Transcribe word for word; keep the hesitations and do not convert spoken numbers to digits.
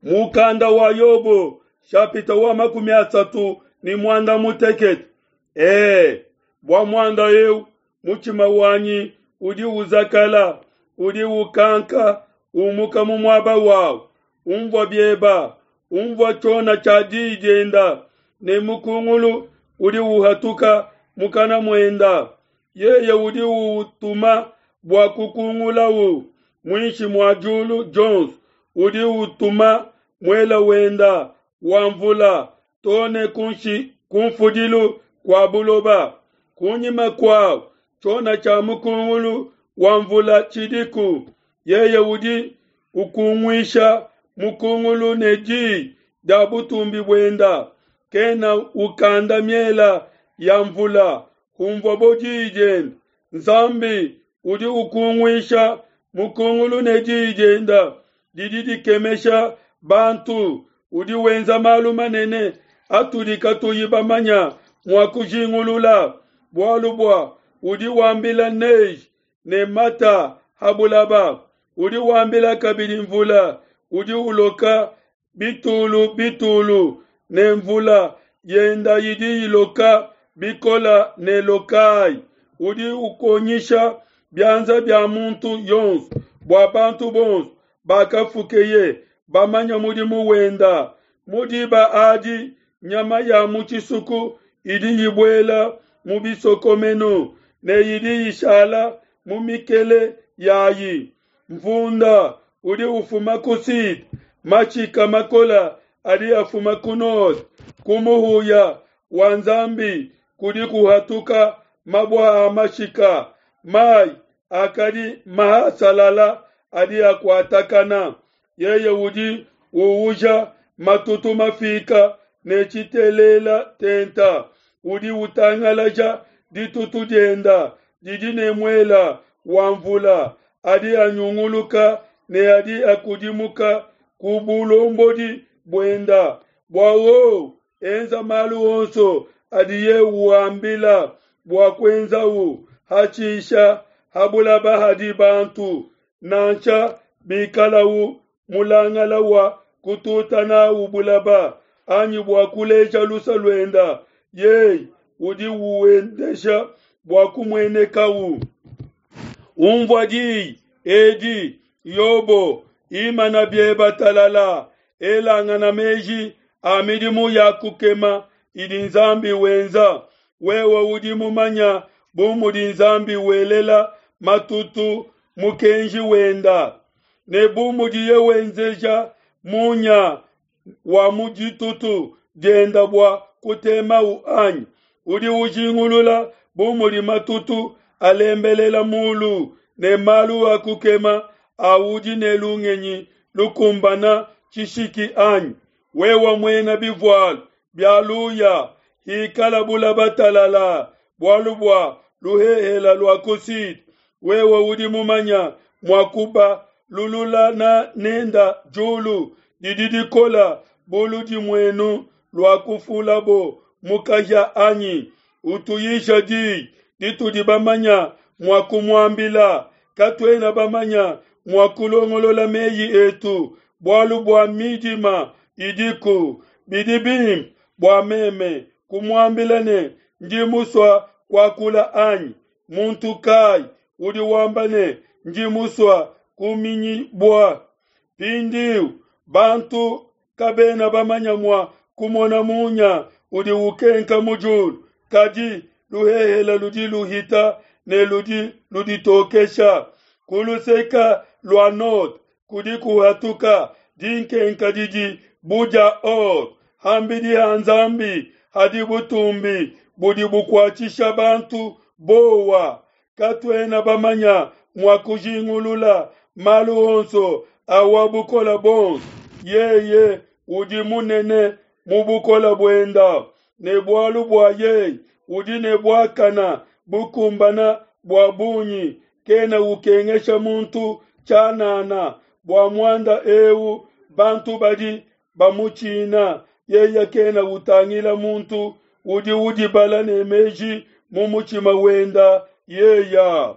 Mukanda wa Yobo shapita wa makumi asatu ni mwanda mutekete. Ee, bua muanda eu mutshima wanyi udi uzakala, udi ukanka umuka mu muaba wawu. Umvua bieba, umvua tshiona tshia diyi dienda, ne mukungulu udi uhatuka mukana muenda. Yeye udi utuma bua kukungulahu muinshi mua diulu dionso, udi utuma muela wenda wa mvula too ne kunfudilu kua buloba. Kunyima kuawu tshiona tshia mukungulu wa mvula tshidiku. Yeye udi ukunguisha mukungulu ne diyi dia butumbi buenda, kena ukanda miela ya mvula humvuabo diyi diende. Nzambi udi ukunguisha mukungulu ne diyi dienda didi dikemesha bantu, udi wenza malu manene atudi katuyi bamanya mua kujingulula. Bualu bua udi wambila neige ne mata ha bulaba, udi wambila kabidi mvula udi uloka bitulu bitulu, ne mvula yenda idi iloka bikola ne lokayi. Udi ukonyisha bianza bia muntu yonso, bua bantu bonso bakafukeye bamanya mudimu wenda. Mu diba adi nyama ya mu tshisuku idi ibuela mu bisokomenu, ne idi ishala mu mikele yayi. Mvunda udi ufuma ku sud, mashika makola adi afuma ku nord. Ku muhuya wa Nzambi kudi kuhatuka mabua a mashika, mai akadi mahasalala adi akuatakana. Yeye udi uuja matutu mafika ne tshitelela tenta, udi utangalaja ditutu dienda didi ne muela wa mvula, adi anyunguluka ne adi akudimuka ku bulombodi buenda, bua wowu enza malu onso adiye uambila bua kuenzawu hatshisha ha bulaba hadi bantu, nansha bikalahu mulangala wa kututa nawu bulaba, anyi bua kuleja lusa luenda, yeye udi uwendesha bua kumuenekawu. Umvua diyi edi, Yobo, imana bieba talala, elangana meji a midimu ya kukema idi Nzambi wenza. Wewe udi mumanya bu mudi Nzambi welela matutu mukenji wenda, ne bu mudiye wenzeja munya wa mu ditutu dienda bua kutemau anyi? Udi ujingulula bu mudi matutu alembelela mulu, ne malu a kukema a udi ne lungenyi lukumbana tshishiki anyi? Wewe muena bivualu bia luya, hikala bulaba talala, bualu bua luhehela lua ku sud. Wewe udi mumanya mua kubalulula na nenda diulu didi dikola bu ludimuenu lua kufulabo mu kahia anyi? Utuyisha diyi ditudi bamanya mua kumuambila, katuena bamanya mua kulongolola meyi etu, bualu bua midima idiku. Bidi bimpe bua meme kumuambila ne, ndi musua kuakula anyi? Muntu kai udi wamba ne, ndi musua kuminyibua? Mpindiu bantu kabena bamanya mua kumona munya udi ukenka mu diulu, kadi luhehela ludi luhita ne ludi luditokesha. Ku luseke lua nord kudi kuhatuka dinkenka didi bu dia or. Hambidi ha Nzambi hadi butumbi budi bukuatshisha bantu bowa. Katuena bamanya mua kujingulula malu onso a wa bukole buonso. Yeye udi munene mu bukole buenda, ne bualu bua yeye udi ne buakana bukumbana bua bungi, kena ukengesha muntu tshianana. Bua muanda eu bantu badi bamutshina, yeye kena utangila muntu udi udibala ne meji mu mutshima wenda yeya.